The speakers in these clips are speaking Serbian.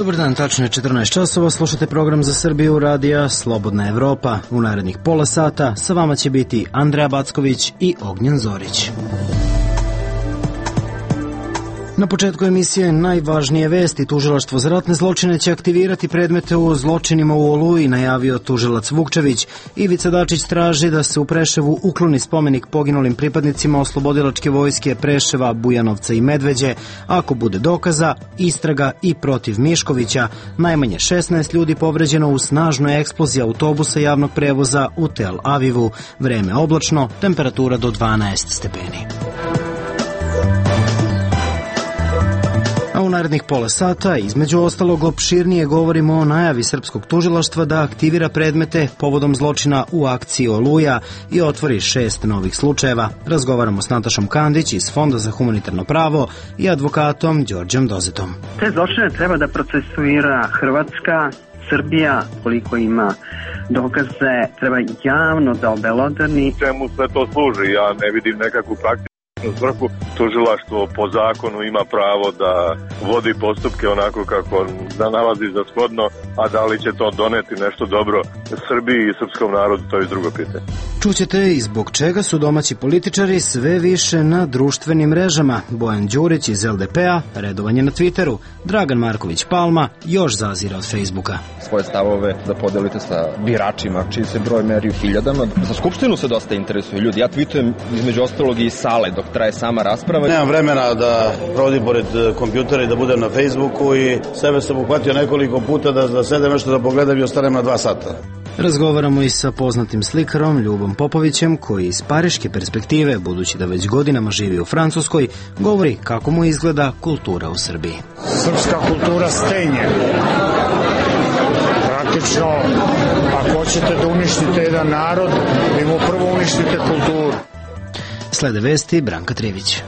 Dobar dan, tačno je 14 časova, slušate program za Srbiju radija Slobodna Evropa. U narednih pola sata sa vama će biti Andreja Backović i Ognjen Zorić. Na početku emisije najvažnije vesti. Tužilaštvo za ratne zločine će aktivirati predmete u zločinima u Oluji, najavio tužilac Vukčević. Ivica Dačić traži da se u Preševu ukloni spomenik poginulim pripadnicima oslobodilačke vojske Preševa, Bujanovca i Medveđe. Ako bude dokaza, istraga i protiv Miškovića. Najmanje 16 ljudi povređeno u snažnoj eksploziji autobusa javnog prevoza u Tel Avivu. Vreme oblačno, temperatura do 12 stepeni. U narednih pola sata, između ostalog, opširnije govorimo o najavi srpskog tužilaštva da aktivira predmete povodom zločina u akciji Oluja i otvori 6 novih slučajeva. Razgovaramo s Natašom Kandić iz Fonda za humanitarno pravo i advokatom Đorđem Dozetom. Te zločine treba da procesuira Hrvatska, Srbija, koliko ima dokaze, treba javno da obelodani. Čemu sve to služi? Ja ne vidim nekakvu praktiku svrhu. Tužilaštvo po zakonu ima pravo da vodi postupke onako kako da nalazi za shodno, a da li će to doneti nešto dobro Srbiji i srpskom narodu, to je drugo pitanje. Čućete i zbog čega su domaći političari sve više na društvenim mrežama. Bojan Đurić iz LDP-a, redovanje na Twitteru. Dragan Marković Palma još zazira od Facebooka. Svoje stavove da podelite sa biračima, čiji se broj meri u hiljadama. Za Skupštinu se dosta interesuju ljudi. Ja tweetujem između ostalog i sale dok traje sama rasprava. Nemam vremena da provodim pored kompjutera i da budem na Facebooku i sebe sam uhvatio nekoliko puta da sedem nešto da pogledam i ostanem na 2 sata. Razgovaramo i sa poznatim slikarom Ljubom Popovićem, koji iz pariške perspektive, budući da već godinama živi u Francuskoj, govori kako mu izgleda kultura u Srbiji. Srpska kultura stenje. Praktično, ako hoćete da uništite jedan narod, vi mu prvo uništite kulturu. Slede vesti Branka Trivić.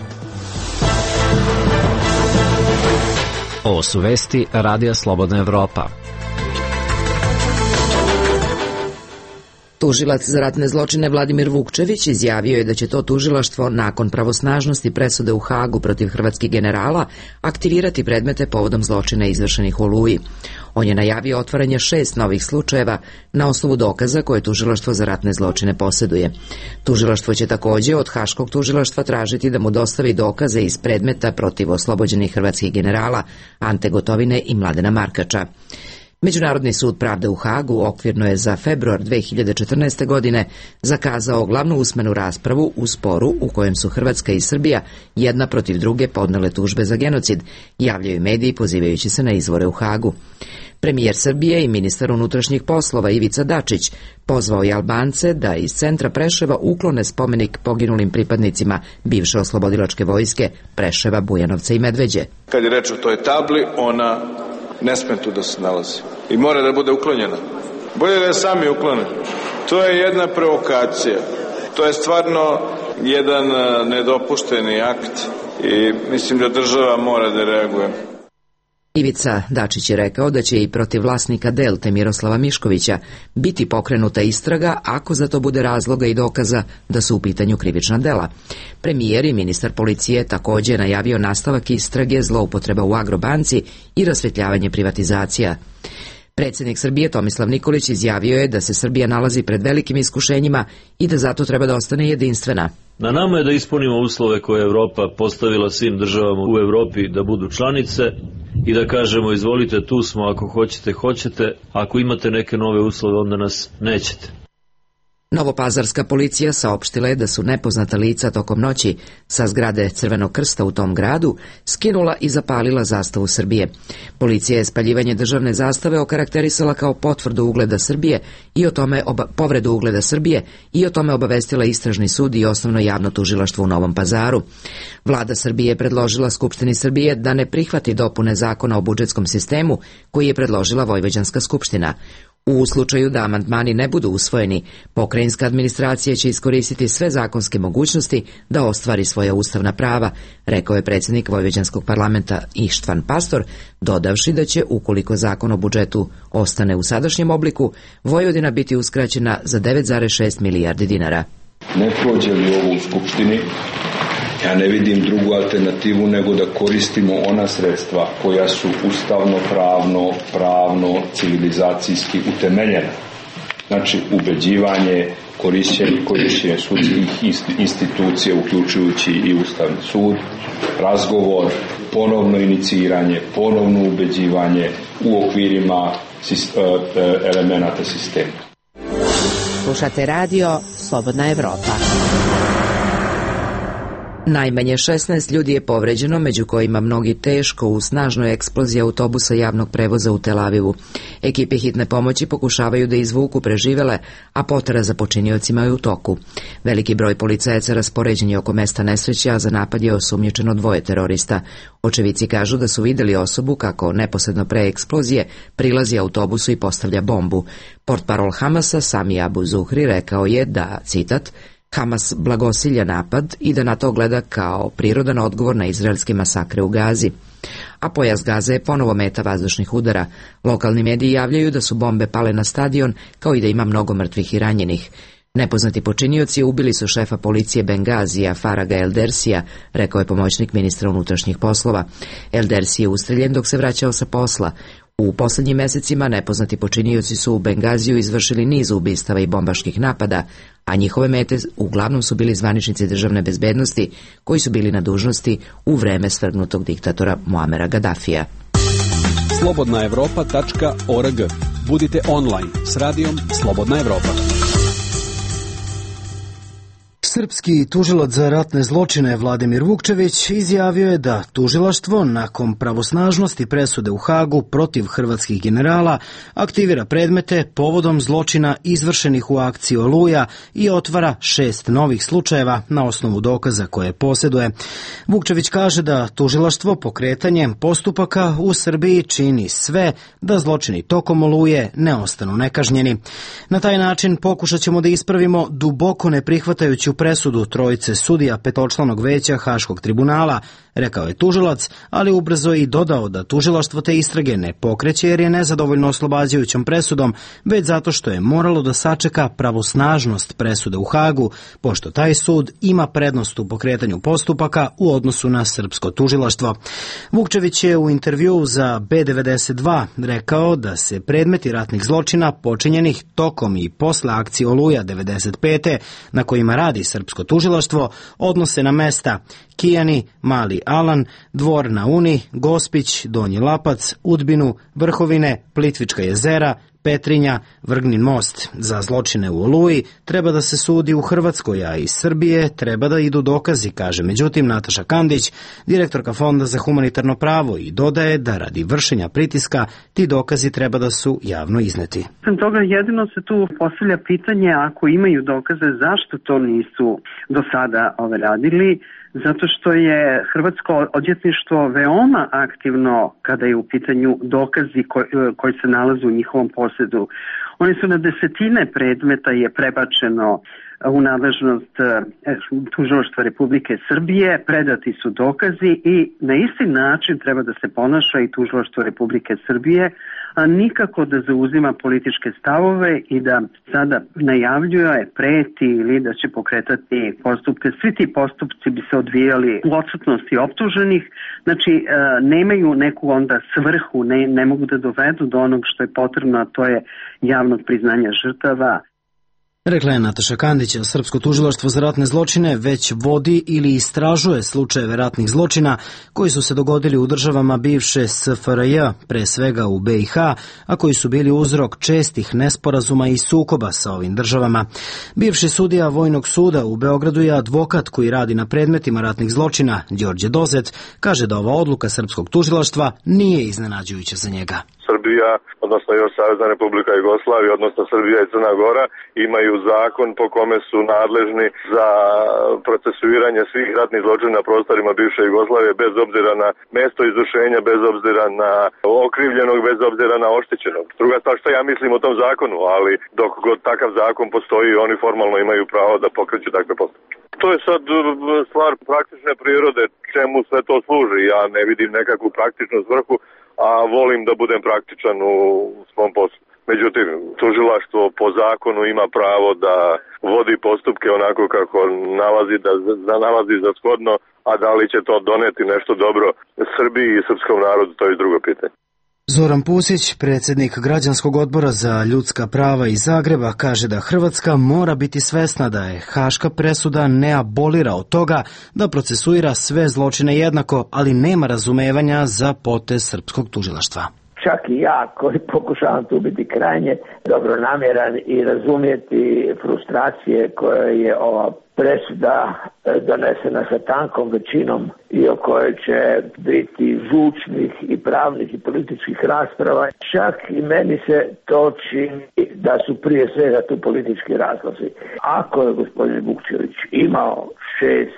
Ovo su vesti Radija Slobodna Evropa. Tužilac za ratne zločine Vladimir Vukčević izjavio je da će to tužilaštvo nakon pravosnažnosti presude u Hagu protiv hrvatskih generala aktivirati predmete povodom zločina izvršenih u Oluji. On je najavio otvaranje 6 novih slučajeva na osnovu dokaza koje tužilaštvo za ratne zločine posjeduje. Tužilaštvo će također od Haškog tužilaštva tražiti da mu dostavi dokaze iz predmeta protiv oslobođenih hrvatskih generala Ante Gotovine i Mladena Markača. Međunarodni sud pravde u Hagu okvirno je za februar 2014. godine zakazao glavnu usmenu raspravu u sporu u kojem su Hrvatska i Srbija jedna protiv druge podnele tužbe za genocid, javljaju mediji pozivajući se na izvore u Hagu. Premijer Srbije i ministar unutrašnjih poslova Ivica Dačić pozvao je Albance da iz centra Preševa uklone spomenik poginulim pripadnicima bivše oslobodilačke vojske Preševa, Bujanovca i Medveđe. Kad je reč o toj tabli, ona ne sme tu da se nalazi i mora da bude uklonjena. Bolje da je sami uklone. To je jedna provokacija. To je stvarno jedan nedopušteni akt i mislim da država mora da reaguje. Ivica Dačić je rekao da će i protiv vlasnika Delte Miroslava Miškovića biti pokrenuta istraga ako za to bude razloga i dokaza da su u pitanju krivična dela. Premijer i ministar policije također najavio nastavak istrage zloupotreba u Agrobanci i rasvetljavanje privatizacija. Predsjednik Srbije Tomislav Nikolić izjavio je da se Srbija nalazi pred velikim iskušenjima i da zato treba da ostane jedinstvena. Na nama je da ispunimo uslove koje je Evropa postavila svim državama u Evropi da budu članice i da kažemo izvolite, tu smo, ako hoćete, hoćete, ako imate neke nove uslove onda nas nećete. Novopazarska policija saopštila je da su nepoznata lica tokom noći sa zgrade Crvenog krsta u tom gradu skinula i zapalila zastavu Srbije. Policija je spaljivanje državne zastave okarakterisala kao potvrdu ugleda Srbije i povredu ugleda Srbije i o tome obavestila istražni sud i osnovno javno tužilaštvo u Novom Pazaru. Vlada Srbije je predložila Skupštini Srbije da ne prihvati dopune zakona o budžetskom sistemu koji je predložila Vojvođanska skupština. U slučaju da amandmani ne budu usvojeni, pokrajinska administracija će iskoristiti sve zakonske mogućnosti da ostvari svoja ustavna prava, rekao je predsjednik Vojvođanskog parlamenta Ištvan Pastor, dodavši da će, ukoliko zakon o budžetu ostane u sadašnjem obliku, Vojvodina biti uskraćena za 9,6 milijardi dinara. Ne prođe li ovo u Skupštini, Ja ne vidim drugu alternativu nego da koristimo ona sredstva koja su ustavno, pravno, civilizacijski utemeljena. Znači, ubeđivanje, korišćenje sudskih institucija, uključujući i Ustavni sud, razgovor, ponovno iniciranje, ponovno ubeđivanje u okvirima elemenata sistema. Slušate radio Slobodna Evropa. Najmanje 16 ljudi je povređeno, među kojima mnogi teško u snažnoj eksploziji autobusa javnog prevoza u Tel Avivu. Ekipe hitne pomoći pokušavaju da izvuku preživele, a potraga za počiniocima je u toku. Veliki broj policajaca raspoređen je oko mesta nesreće, a za napad je osumnjičeno 2 terorista. Očevici kažu da su videli osobu kako neposredno pre eksplozije prilazi autobusu i postavlja bombu. Portparol Hamasa Sami Abu Zuhri rekao je da, citat, Hamas blagosilja napad i da na to gleda kao prirodan odgovor na izraelske masakre u Gazi. A pojas Gaze je ponovo meta vazdušnih udara. Lokalni mediji javljaju da su bombe pale na stadion, kao i da ima mnogo mrtvih i ranjenih. Nepoznati počinioci ubili su šefa policije Bengazija, Faraga Eldersija, rekao je pomoćnik ministra unutrašnjih poslova. Eldersi je ustreljen dok se vraćao sa posla. U poslednjim mesecima nepoznati počinioci su u Bengaziju izvršili niz ubistava i bombaških napada, a njihove mete uglavnom su bili zvaničnici državne bezbednosti koji su bili na dužnosti u vreme svrgnutog diktatora Muamera Gaddafija. slobodnaevropa.org. Budite online s radijom Slobodna Evropa. Srpski tužilac za ratne zločine Vladimir Vukčević izjavio je da tužilaštvo nakon pravosnažnosti presude u Hagu protiv hrvatskih generala aktivira predmete povodom zločina izvršenih u akciji Oluja i otvara 6 novih slučajeva na osnovu dokaza koje posjeduje. Vukčević kaže da tužilaštvo pokretanjem postupaka u Srbiji čini sve da zločini tokom Oluje ne ostanu nekažnjeni. Na taj način pokušat ćemo da ispravimo duboko neprihvatajuću presudu trojice sudija petočlanog veća Haškog tribunala, rekao je tužilac, ali ubrzo i dodao da tužilaštvo te istrage ne pokreće jer je nezadovoljno oslobađajućom presudom, već zato što je moralo da sačeka pravosnažnost presude u Hagu, pošto taj sud ima prednost u pokretanju postupaka u odnosu na srpsko tužilaštvo. Vukčević je u intervjuu za B92 rekao da se predmeti ratnih zločina počinjenih tokom i posle akcije Oluja 95. na kojima radi srpsko tužilaštvo odnose na mesta Kijani, Mali Alan, Dvor na Uni, Gospić, Donji Lapac, Udbinu, Vrhovine, Plitvička jezera, Petrinja, Vrgnin most. Za zločine u Oluji treba da se sudi u Hrvatskoj, a iz Srbije treba da idu dokazi, kaže međutim Nataša Kandić, direktorka Fonda za humanitarno pravo, i dodaje da radi vršenja pritiska ti dokazi treba da su javno izneti. Sem toga jedino se tu postavlja pitanje, ako imaju dokaze, zašto to nisu do sada radili, zato što je hrvatsko odvjetništvo veoma aktivno kada je u pitanju dokazi koji se nalaze u njihovom posjedu. Oni su na desetine predmeta je prebačeno u nadležnost tužilaštva Republike Srbije, predati su dokazi i na isti način treba da se ponaša i tužilaštvo Republike Srbije, a nikako da zauzima političke stavove i da sada najavljuje, preti ili da će pokretati postupke. Svi ti postupci bi se odvijali u odsutnosti optuženih, znači nemaju neku onda svrhu, ne mogu da dovedu do onog što je potrebno, a to je javnog priznanja žrtava. Rekla je Nataša Kandić, srpsko tužilaštvo za ratne zločine već vodi ili istražuje slučajeve ratnih zločina koji su se dogodili u državama bivše SFRJ, pre svega u BiH, a koji su bili uzrok čestih nesporazuma i sukoba sa ovim državama. Bivši sudija Vojnog suda u Beogradu je advokat koji radi na predmetima ratnih zločina, Đorđe Dozet, kaže da ova odluka srpskog tužilaštva nije iznenađujuća za njega. Srbija, odnosno još Savezna Republika Jugoslavija, odnosno Srbija i Crna Gora imaju zakon po kome su nadležni za procesuiranje svih ratnih zločina na prostorima bivše Jugoslavije bez obzira na mesto izvršenja, bez obzira na okrivljenog, bez obzira na oštećenog. Druga stvar što ja mislim o tom zakonu, ali dok god takav zakon postoji, oni formalno imaju pravo da pokreću takve postupke. To je sad stvar praktične prirode, čemu sve to služi. Ja ne vidim nekakvu praktičnu svrhu, a volim da budem praktičan u svom poslu. Međutim, tužilaštvo po zakonu ima pravo da vodi postupke onako kako nalazi za shodno, a da li će to doneti nešto dobro Srbiji i srpskom narodu, to je drugo pitanje. Zoran Pusić, predsjednik Građanskog odbora za ljudska prava iz Zagreba, kaže da Hrvatska mora biti svesna da je haška presuda ne abolira od toga da procesuira sve zločine jednako, ali nema razumevanja za potez srpskog tužilaštva. Čak i ja koji pokušavam tu biti krajnje dobronamjeran i razumjeti frustracije koje je ova presuda donesena sa tankom većinom i o kojoj će biti zvučnih i pravnih i političkih rasprava. Čak i meni se to čini da su prije svega tu politički razlozi. Ako je gospodin Vukčević imao 6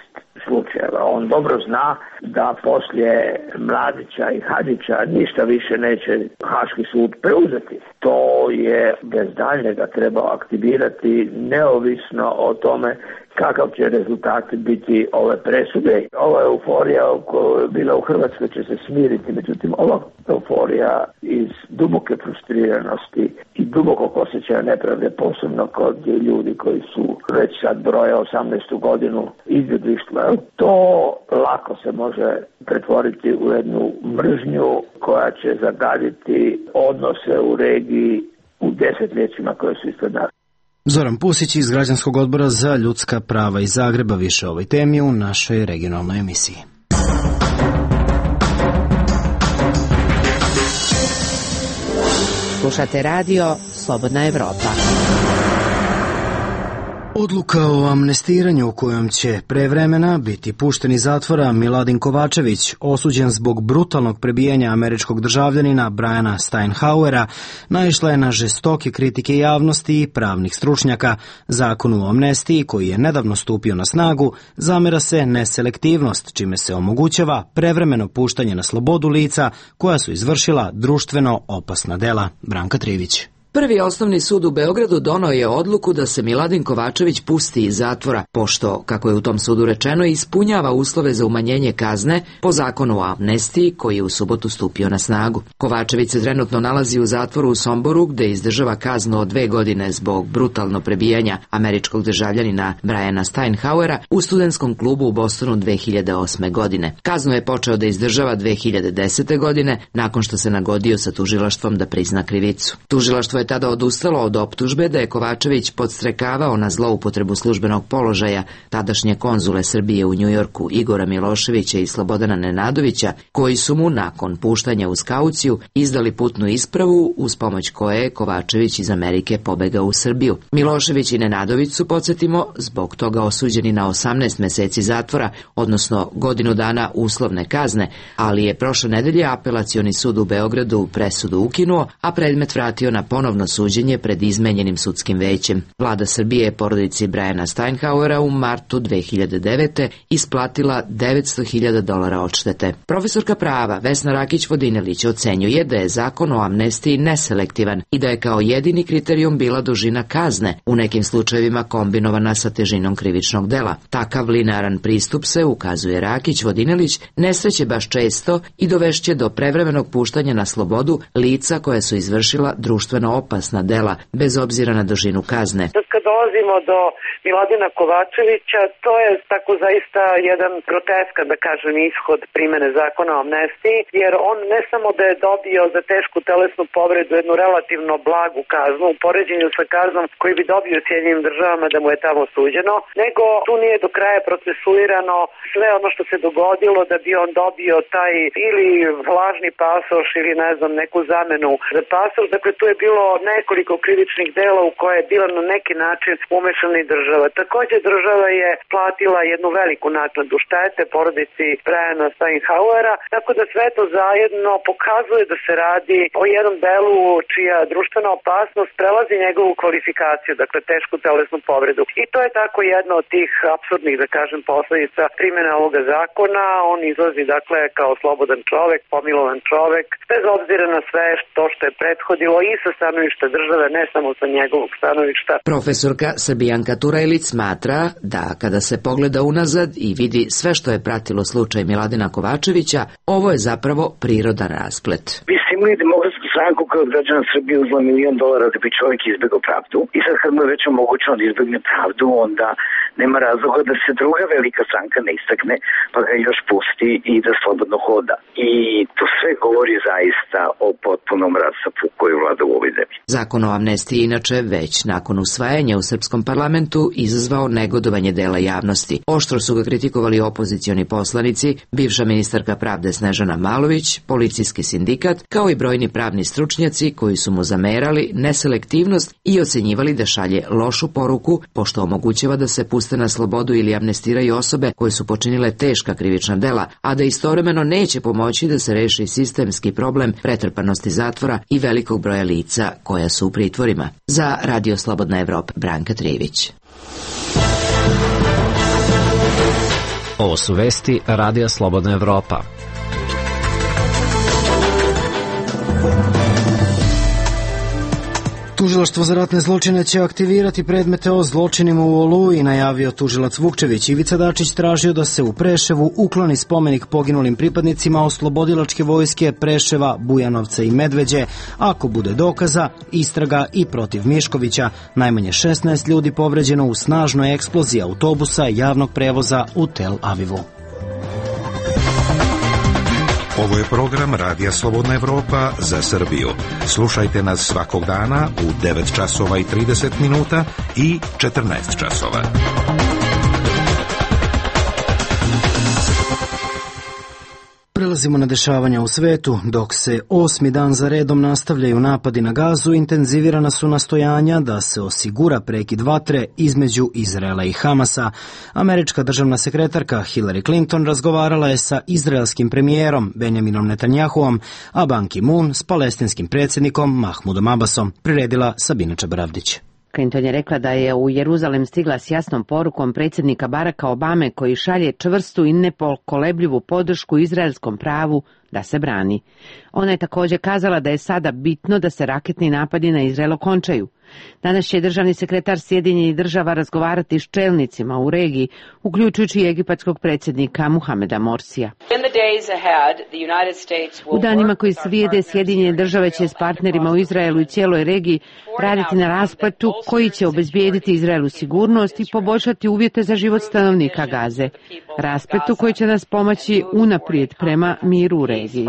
slučajeva, on dobro zna da poslije Mladića i Hadžića ništa više neće Haški sud preuzeti. To je bez daljnjega trebao aktivirati neovisno o tome kakav će rezultat biti ove presude. Ova euforija koja je bila u Hrvatskoj će se smiriti, međutim ova euforija iz duboke frustriranosti i dubokog osjećaja nepravde, posebno kod ljudi koji su već sad broje 18. godinu izbjeglištva, to lako se može pretvoriti u jednu mržnju koja će zagaditi odnose u regiji u desetljećima koje su ispred nas. Zoran Pusić iz Građanskog odbora za ljudska prava iz Zagreba, više o ovoj temi u našoj regionalnoj emisiji. Slušate radio Slobodna Evropa. Odluka o amnestiranju u kojom će pre vremena biti pušten iz zatvora Miladin Kovačević, osuđen zbog brutalnog prebijanja američkog državljanina Briana Steinhauera, naišla je na žestoke kritike javnosti i pravnih stručnjaka. Zakonu o amnestiji, koji je nedavno stupio na snagu, zamera se neselektivnost, čime se omogućava prevremeno puštanje na slobodu lica koja su izvršila društveno opasna dela. Branka Trivić. Prvi osnovni sud u Beogradu donao je odluku da se Miladin Kovačević pusti iz zatvora, pošto, kako je u tom sudu rečeno, ispunjava uslove za umanjenje kazne po zakonu o amnestiji koji je u subotu stupio na snagu. Kovačević se trenutno nalazi u zatvoru u Somboru, gde izdržava kaznu od 2 godine zbog brutalno prebijanja američkog državljanina Briana Steinhauera u studentskom klubu u Bostonu 2008. godine. Kaznu je počeo da izdržava 2010. godine, nakon što se nagodio sa tužilaštvom da prizna krivicu. Tužilaštvo je tada odustalo od optužbe da je Kovačević podstrekavao na zloupotrebu službenog položaja tadašnje konzule Srbije u Njujorku Igora Miloševića i Slobodana Nenadovića, koji su mu nakon puštanja uz kauciju izdali putnu ispravu uz pomoć koje je Kovačević iz Amerike pobegao u Srbiju. Milošević i Nenadović su, podsjetimo, zbog toga osuđeni na 18 meseci zatvora, odnosno godinu dana uslovne kazne, ali je prošle nedelje Apelacioni sud u Beogradu presudu ukinuo, a predmet vratio na ponovno suđenje pred izmenjenim sudskim većem. Vlada Srbije je porodici Briana Steinhauera u martu 2009. isplatila $900.000 odštete. Profesorka prava Vesna Rakić-Vodinelić ocenjuje da je zakon o amnestiji neselektivan i da je kao jedini kriterijum bila dužina kazne, u nekim slučajevima kombinovana sa težinom krivičnog dela. Takav linearan pristup se, ukazuje Rakić-Vodinelić, ne sreće baš često i dovešće do prevremenog puštanja na slobodu lica koja su izvršila društveno opasna dela, bez obzira na dužinu kazne. Kad dolazimo do Miladina Kovačevića, to je tako zaista jedan groteskan, da kažem, ishod primene zakona o amnestiji, jer on ne samo da je dobio za tešku telesnu povredu jednu relativno blagu kaznu u poređenju sa kaznom koji bi dobio u Sjedinjenim državama da mu je tamo suđeno, nego tu nije do kraja procesuirano sve ono što se dogodilo da bi on dobio taj ili lažni pasoš ili ne znam neku zamenu za pasoš. Dakle, tu je bilo nekoliko krivičnih dela u koje je bila na neki način umešana i država. Takođe država je platila jednu veliku naknadu štete porodici Briana Steinhauera, tako da sve to zajedno pokazuje da se radi o jednom delu čija društvena opasnost prelazi njegovu kvalifikaciju, dakle tešku telesnu povredu. I to je tako jedna od tih apsurdnih, da kažem, posledica primjene ovoga zakona. On izlazi dakle kao slobodan čovek, pomilovan čovek, bez obzira na sve to što je prethodilo i sa stanovišta države, ne samo sa njegovog stanovišta. Profesor Profesorka Srbijanka Turajlić smatra da kada se pogleda unazad i vidi sve što je pratilo slučaj Miladina Kovačevića, ovo je zapravo prirodan rasplet. Imali Demokratsku stranku koja od građana Srbije uzela $1 milion da bi čovjek izbegao pravdu. I sad kad mu je već omogućeno da izbegne pravdu, onda nema razloga da se druga velika stranka ne istakne, pa ga još pusti i da slobodno hoda. I to sve govori zaista o potpunom rasapu koji vlada u ovoj zemlji. Zakon o amnestiji inače već nakon usvajanja u srpskom parlamentu izazvao negodovanje dela javnosti. Oštro su ga kritikovali opozicioni poslanici, bivša ministarka pravde Snežana Malović, policijski sindikat, kao i brojni pravni stručnjaci koji su mu zamerali neselektivnost i ocenjivali da šalje lošu poruku, pošto omogućava da se puste na slobodu ili amnestiraju osobe koje su počinile teška krivična dela, a da istovremeno neće pomoći da se reši sistemski problem pretrpanosti zatvora i velikog broja lica koja su u pritvorima. Za Radio Slobodna Evropa, Branka Trijević. Ovo su vesti Radija Slobodna Evropa. Tužilaštvo za ratne zločine će aktivirati predmete o zločinima u Oluji, najavio tužilac Vukčević. Ivica Dačić tražio da se u Preševu ukloni spomenik poginulim pripadnicima Oslobodilačke vojske Preševa, Bujanovca i Medveđe. Ako bude dokaza, istraga i protiv Miškovića. Najmanje 16 ljudi povređeno u snažnoj eksploziji autobusa javnog prevoza u Tel Avivu. Ovo je program Radija Slobodna Evropa za Srbiju. Slušajte nas svakog dana u 9 časova i 30 minuta i 14 časova. Prelazimo na dešavanja u svetu. Dok se 8. dan za redom nastavljaju napadi na Gazu, intenzivirana su nastojanja da se osigura prekid vatre između Izraela i Hamasa. Američka državna sekretarka Hillary Clinton razgovarala je sa izraelskim premijerom Benjaminom Netanjahuom, a Ban Ki-moon s palestinskim predsjednikom Mahmudom Abbasom, priredila Sabina Čabaravdić. Clinton je rekla da je u Jeruzalem stigla s jasnom porukom predsjednika Baracka Obame koji šalje čvrstu i nepokolebljivu podršku izraelskom pravu da se brani. Ona je također kazala da je sada bitno da se raketni napadi na Izrael okončaju. Danas će državni sekretar Sjedinjenih država razgovarati s čelnicima u regiji, uključujući i egipatskog predsjednika Muhameda Morsija. U danima koji slijede Sjedinjene države će s partnerima u Izraelu i cijeloj regiji raditi na raspletu koji će obezbijediti Izraelu sigurnost i poboljšati uvjete za život stanovnika Gaze. Raspletu koji će nas pomoći unaprijed prema miru u regiji.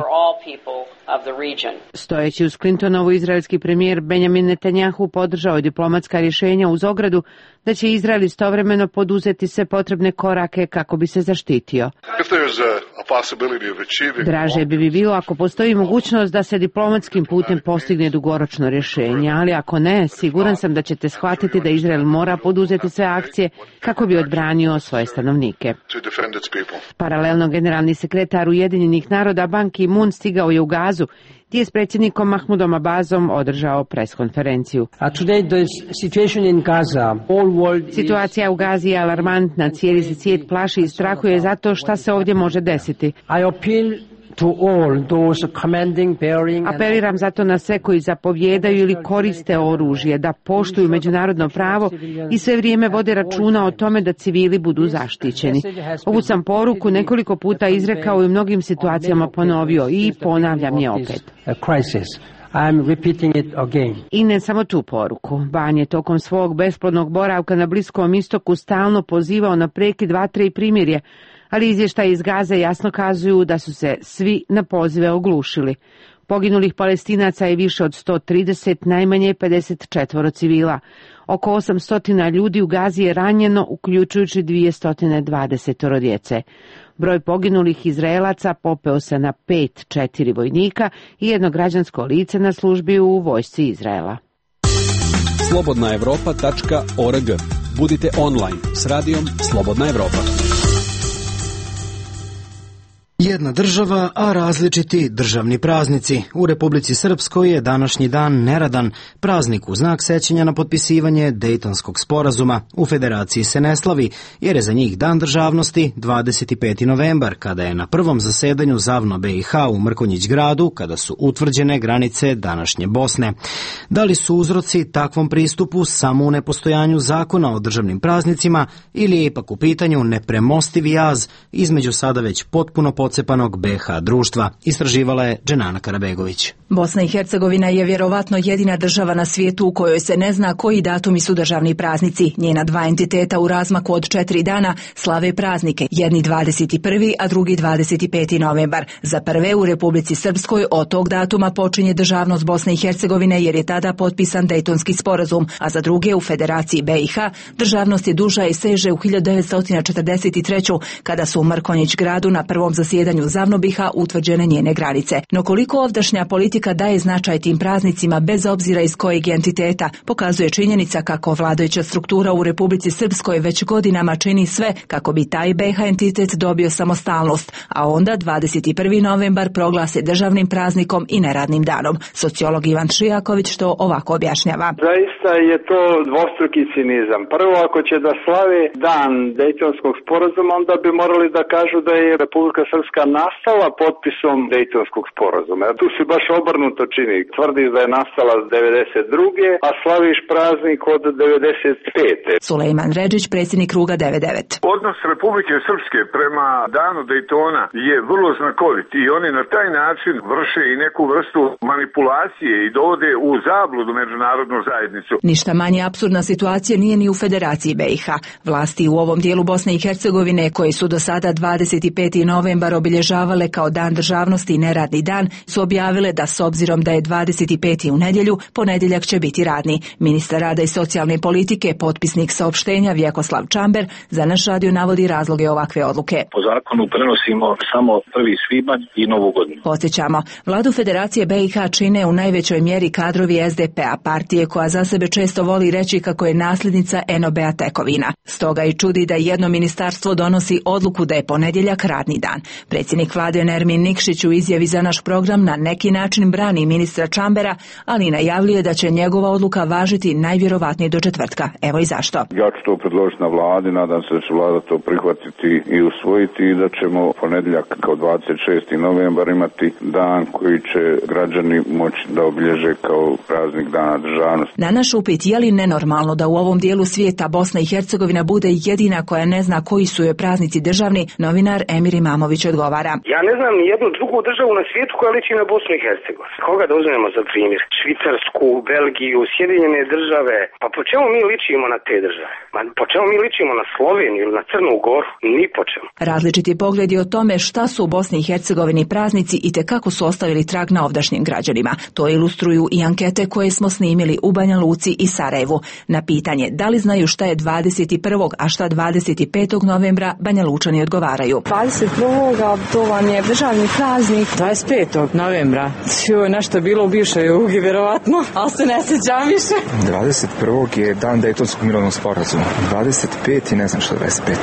Stojeći uz Clintonovu, izraelski premijer Benjamin Netanjahu podržao je diplomatska rješenja uz ogradu da će Izrael istovremeno poduzeti sve potrebne korake kako bi se zaštitio. Draže bi bilo ako postoji mogućnost da se diplomatskim putem postigne dugoročno rješenje, ali ako ne, siguran sam da ćete shvatiti da Izrael mora poduzeti sve akcije kako bi odbranio svoje stanovnike. Paralelno, generalni sekretar Ujedinjenih naroda Ban Ki-moon stigao je u Gazu, gdje je s predsjednikom Mahmudom Abbasom održao preskonferenciju. Situacija u Gazi je alarmantna, cijeli se svijet plaši i strahuje zato šta se ovdje može desiti. Apeliram zato na sve koji zapovjedaju ili koriste oružje da poštuju međunarodno pravo i sve vrijeme vode računa o tome da civili budu zaštićeni. Ovu sam poruku nekoliko puta izrekao i u mnogim situacijama ponovio i ponavljam je opet. I ne samo tu poruku. Ban je tokom svog besplodnog boravka na Bliskom istoku stalno pozivao na prekid vatre i primirje, ali izvještaji iz Gaze jasno kazuju da su se svi na pozive oglušili. Poginulih Palestinaca je više od 130, najmanje 54 civila. Oko 800 ljudi u Gazi je ranjeno, uključujući 220 djece. Broj poginulih Izraelaca popeo se na 4 vojnika i jedno građansko lice na službi u vojsci Izraela. slobodnaevropa.org. Budite online s radijom Slobodna Evropa. Jedna država, a različiti državni praznici. U Republici Srpskoj je današnji dan neradan, praznik u znak sećanja na potpisivanje Dejtonskog sporazuma. U Federaciji se ne slavi, jer je za njih dan državnosti 25. novembar, kada je na prvom zasedanju ZAVNO BiH u Mrkonjić gradu, kada su utvrđene granice današnje Bosne. Da li su uzroci takvom pristupu samo u nepostojanju zakona o državnim praznicima ili je ipak u pitanju nepremostivi jaz između sada već potpuno pocepanog BiH društva, istraživala je Dženana Karabegović. Bosna i Hercegovina je vjerovatno jedina država na svijetu u kojoj se ne zna koji datumi su državni praznici. Njena dva entiteta u razmaku od 4 dana slave praznike, jedni 21. a drugi 25. novembar. Za prve u Republici Srpskoj od tog datuma počinje državnost Bosne i Hercegovine jer je tada potpisan Dejtonski sporazum, a za druge u Federaciji BiH državnost je duža i seže u 1943. kada su u Mrkonjić gradu na prvom zasjedanju ZAVNO BiH utvrđene njene granice. No koliko ovdašnja politika daje značaj tim praznicima bez obzira iz kojeg entiteta, pokazuje činjenica kako vladajuća struktura u Republici Srpskoj već godinama čini sve kako bi taj BiH entitet dobio samostalnost, a onda 21. novembar proglase državnim praznikom i neradnim danom. Sociolog Ivan Šijaković to ovako objašnjava. Zaista je to dvostruki cinizam. Prvo, ako će da slave dan Dejtonskog sporazuma, onda bi morali da kažu da je Republika Srpska nastala potpisom Dejtonskog sporazuma. Tu se baš obrnuto čini. Tvrdiš da je nastala 92. a slaviš praznik od 95. Sulejman Redžić, predsjednik Kruga 99. Odnos Republike Srpske prema danu Dejtona je vrlo znakovit i oni na taj način vrše i neku vrstu manipulacije i dovode u zabludu međunarodnu zajednicu. Ništa manje apsurdna situacija nije ni u Federaciji BiH. Vlasti u ovom dijelu Bosne i Hercegovine, koji su do sada 25. novembar obilježavale kao dan državnosti i neradni dan, su objavile da s obzirom da je 25. u nedjelju, ponedjeljak će biti radni. Ministar rada i socijalne politike, potpisnik saopštenja Vjekoslav Čamber, za naš radio navodi razloge ovakve odluke. Po zakonu prenosimo samo 1. svibanj i Novu godinu. Podsjećamo, vladu Federacije BiH čine u najvećoj mjeri kadrovi SDP-a, partije koja za sebe često voli reći kako je nasljednica NOB-a tekovina. Stoga i čudi da jedno ministarstvo donosi odluku da je ponedjeljak radni dan. Predsjednik vlade Nermin Nikšić u izjavi za naš program na neki način brani ministra Čambera, ali najavljuje da će njegova odluka važiti najvjerovatnije do četvrtka. Evo i zašto. Ja ću to predložiti na vladi, nadam se da će vlada to prihvatiti i usvojiti i da ćemo ponedjeljak kao 26. novembar imati dan koji će građani moći da obilježe kao praznik dana državnosti. Na naš upit je li nenormalno da u ovom dijelu svijeta Bosna i Hercegovina bude jedina koja ne zna koji su joj praznici državni, novinar Emir Imamović odgovara. Ja ne znam ni jednu drugu državu na svijetu koja liči na Bosnu i Hercegovinu. Koga da uzmemo za primjer? Švicarsku, Belgiju, Sjedinjene države. Pa po čemu mi ličimo na te države? Po čemu mi ličimo na Sloveniju ili na Crnu Goru? Ni po čemu. Različiti pogledi o tome šta su u Bosni i Hercegovini praznici i te kako su ostavili trag na ovdašnjim građanima. To ilustruju i ankete koje smo snimili u Banja Luci i Sarajevu. Na pitanje da li znaju šta je 21. a šta 25. novembra, Banja Lučani odgovaraju. 21. to vam je državni praznik. 25. novembra. Nešto je bilo u bivšoj Jugi, vjerovatno, ali se ne sjećam više. 21. je dan Dejtonskog mirovnog sporazuma. 25. ne znam što 25.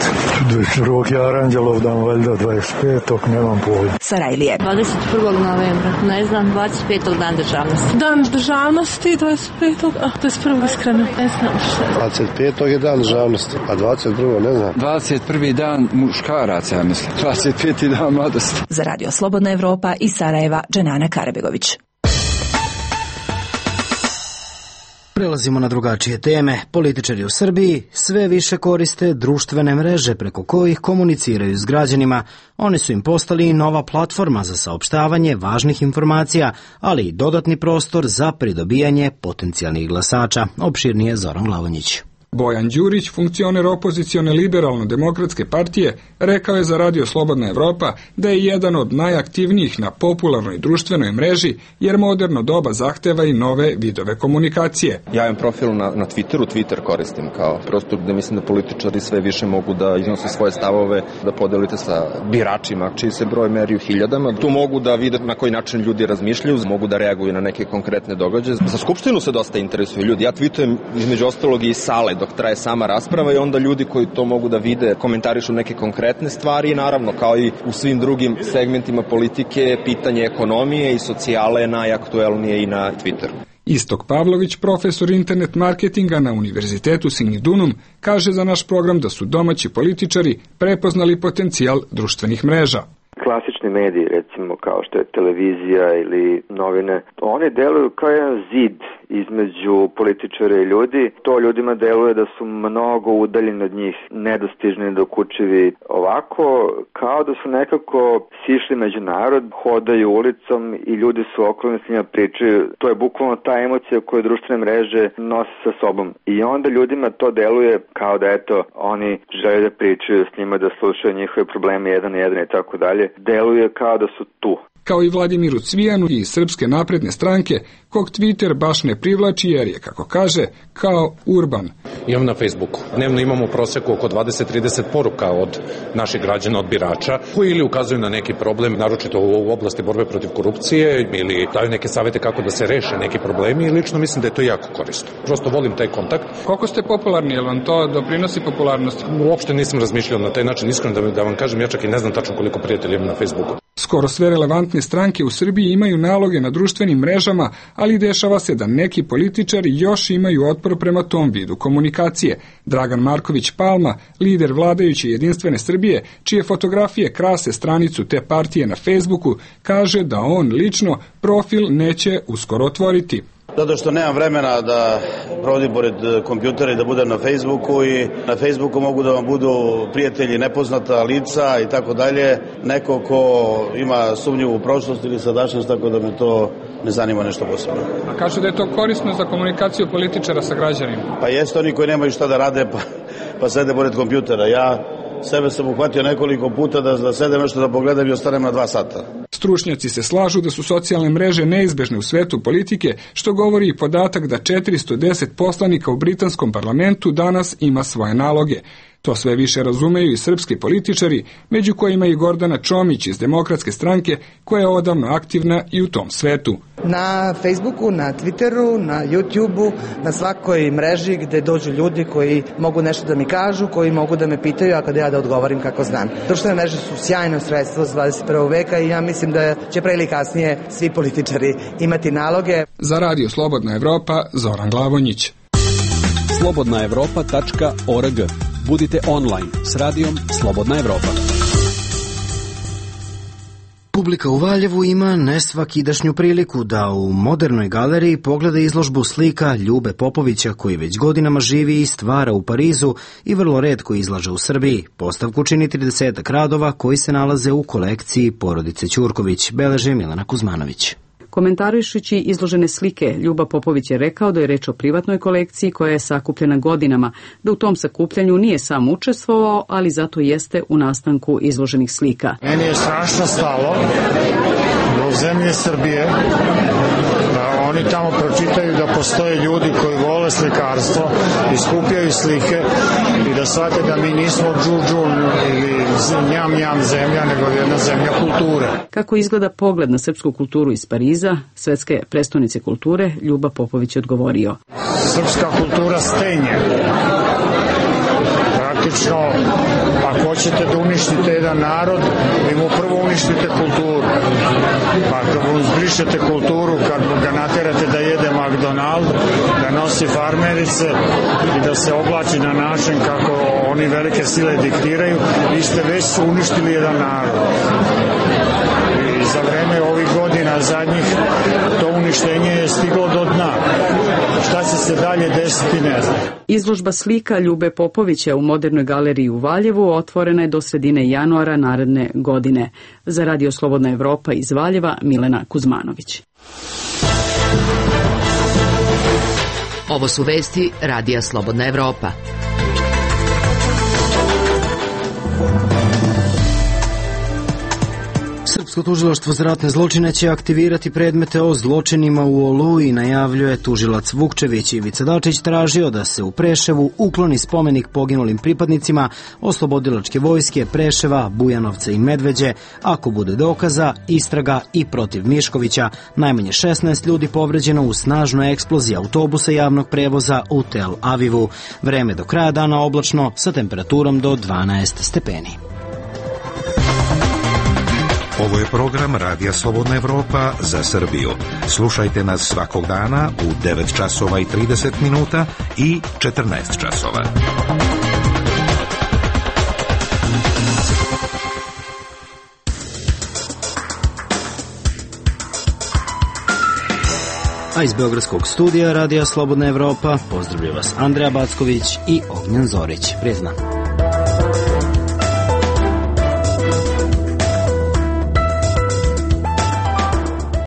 21. je Aranđelov dan, valjda 25. nemam pojma. Sarajlije. 21. novembra, ne znam, 25. dan državnosti. Dan državnosti, 25. 21. iskreno, ne znam što. 25. je dan državnosti, a 21. ne znam. 21. dan muškaraca, ja mislim. 25. dan mladosti. Za radio Slobodna Evropa iz Sarajeva, Dženana Karabegović. Prelazimo na drugačije teme. Političari u Srbiji sve više koriste društvene mreže preko kojih komuniciraju s građanima. One su im postali nova platforma za saopštavanje važnih informacija, ali i dodatni prostor za pridobijanje potencijalnih glasača. Opširnije Zoran Glavonjić. Bojan Đurić, funkcioner opozicione liberalno-demokratske partije, rekao je za radio Slobodna Evropa da je jedan od najaktivnijih na popularnoj društvenoj mreži, jer moderno doba zahteva i nove vidove komunikacije. Ja imam profil na Twitteru, Twitter koristim kao prostor gde mislim da političari sve više mogu da iznose svoje stavove, da podelite sa biračima, čiji se broj meri u hiljadama. Tu mogu da vide na koji način ljudi razmišljaju, mogu da reaguju na neke konkretne događaje. Za Skupštinu se dosta interesuju ljudi. Ja tweetujem između ostalog i iz sale dok traje sama rasprava i onda ljudi koji to mogu da vide komentarišu neke konkretne stvari i naravno kao i u svim drugim segmentima politike pitanje ekonomije i socijale je najaktuelnije i na Twitteru. Istok Pavlović, profesor internet marketinga na Univerzitetu Signidunum, kaže za naš program da su domaći političari prepoznali potencijal društvenih mreža. Klasični mediji, recimo kao što je televizija ili novine, one deluju kao jedan zid između političara i ljudi. To ljudima deluje da su mnogo udaljeni od njih, nedostižni, dokučivi. Ovako, kao da su nekako sišli među narod, hodaju ulicom i ljudi su okolni s njima pričaju. To je bukvalno ta emocija koju društvene mreže nose sa sobom. I onda ljudima to deluje kao da eto, oni žele da pričaju s njima, da slušaju njihove probleme jedan i tako dalje. Deluje kao da su tu. Kao i Vladimiru Cvijanu iz Srpske napredne stranke, kog Twitter baš ne privlači jer je, kako kaže, kao urban. Imam na Facebooku. Dnevno imamo u proseku oko 20-30 poruka od naših građana, od birača, koji ili ukazuju na neki problem, naročito u oblasti borbe protiv korupcije, ili daju neke savete kako da se reše neki problemi i lično mislim da je to jako korisno. Prosto volim taj kontakt. Koliko ste popularni, jel vam to doprinosi popularnosti? Uopšte nisam razmišljao na taj način, iskreno da vam kažem, ja čak i ne znam tačno koliko prijatelja imam na Facebooku. Skoro sve relevantne stranke u Srbiji imaju naloge na društvenim mrežama, ali dešava se da neki političari još imaju otpor prema tom vidu komunikacije. Dragan Marković Palma, lider vladajuće Jedinstvene Srbije, čije fotografije krase stranicu te partije na Facebooku, kaže da on lično profil neće uskoro otvoriti. Zato što nemam vremena da provodim pored kompjutera i da budem na Facebooku i na Facebooku mogu da vam budu prijatelji nepoznata lica i tako dalje. Neko ko ima sumnju u prošlost ili sadašnjost, tako da me to ne zanima nešto posebno. A kažu da je to korisno za komunikaciju političara sa građanima? Pa jeste, oni koji nemaju šta da rade pa sede pored kompjutera. Ja sebe sam uhvatio nekoliko puta da sedem nešto da pogledam i ostanem na 2 sata. Stručnjaci se slažu da su socijalne mreže neizbežne u svetu politike, što govori i podatak da 410 poslanika u britanskom parlamentu danas ima svoje naloge. To sve više razumeju i srpski političari, među kojima i Gordana Čomić iz Demokratske stranke, koja je odavno aktivna i u tom svetu. Na Facebooku, na Twitteru, na YouTubeu, na svakoj mreži gde dođu ljudi koji mogu nešto da mi kažu, koji mogu da me pitaju, a kada ja da odgovorim kako znam. Društvene mreže su sjajno sredstvo za 21. veka i ja mislim da će pre ili kasnije svi političari imati naloge. Za Radio Slobodna Evropa, Zoran Glavonjić. slobodnaevropa.org. Budite online s radijom Slobodna Evropa. Publika u Valjevu ima nesvakidašnju priliku da u Modernoj galeriji pogleda izložbu slika Ljube Popovića, koji već godinama živi i stvara u Parizu i vrlo retko izlaže u Srbiji. Postavku čini 30 radova koji se nalaze u kolekciji porodice Ćurković, beleže Milena Kuzmanović. Komentarišući izložene slike, Ljuba Popović je rekao da je reč o privatnoj kolekciji koja je sakupljena godinama, da u tom sakupljanju nije sam učestvovao, ali zato jeste u nastanku izloženih slika. Meni je strašno stalo do zemlje Srbije da oni tamo pročitaju da postoje ljudi koji vole slikarstvo i skupljaju slike i da shvate da mi nismo džuđun ili njam zemlja, nego jedna zemlja kulture. Kako izgleda pogled na srpsku kulturu iz Pariza, svetske prestonice kulture, Ljuba Popović je odgovorio. Srpska kultura stenje. Praktično, ako hoćete da uništite jedan narod, vi mu prvo uništite kulturu. Pa kad mu zbrišete kulturu, kad ga naterate da jede McDonald, da nosi farmerice i da se oblači na način kako oni velike sile diktiraju, vi ste već uništili jedan narod. I za vreme ovih godina zadnjih to uništenje je stiglo do dna. Šta će se dalje desiti, ne znam. Izložba slika Ljube Popovića u Modernoj galeriji u Valjevu otvorena je do sredine januara naredne godine. Za Radio Slobodna Evropa iz Valjeva, Milena Kuzmanović. Ovo su vesti Radija Slobodna Evropa. Beogradsko tužilaštvo za ratne zločine će aktivirati predmete o zločinima u Oluji, najavljuje tužilac Vukčević. Ivica Dačić tražio da se u Preševu ukloni spomenik poginulim pripadnicima oslobodilačke vojske Preševa, Bujanovca i Medveđe. Ako bude dokaza, istraga i protiv Miškovića. Najmanje 16 ljudi povređeno u snažnoj eksploziji autobusa javnog prevoza u Tel Avivu. Vreme do kraja dana oblačno sa temperaturom do 12 stepeni. Ovo je program Radija Slobodna Evropa za Srbiju. Slušajte nas svakog dana u 9 časova i 30 minuta i 14 časova. A iz beogradskog studija Radija Slobodna Evropa pozdravlja vas Andreja Backović i Ognjen Zorić. Prijatno.